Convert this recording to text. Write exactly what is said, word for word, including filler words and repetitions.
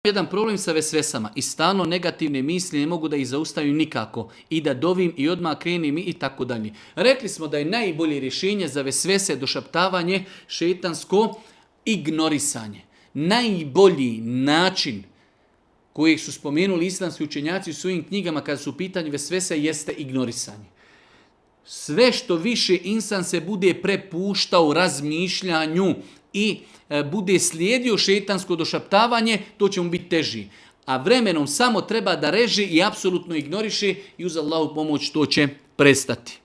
jedan problem sa vesvesama i stalno negativne misli ne mogu da ih zaustavim nikako i da dovim i odmah krenim i tako dalje. Rekli smo da je najbolje rješenje za vesvese došaptavanje šetansko ignorisanje. Najbolji način kojeg su spomenuli islamski učenjaci u svojim knjigama kada su u pitanju vesvese jeste ignorisanje. Sve što više insan se bude prepuštao razmišljanju i e, bude slijedio šetansko došaptavanje, to će mu biti teži. A vremenom samo treba da reži i apsolutno ignoriše i uz Allahu pomoć to će prestati.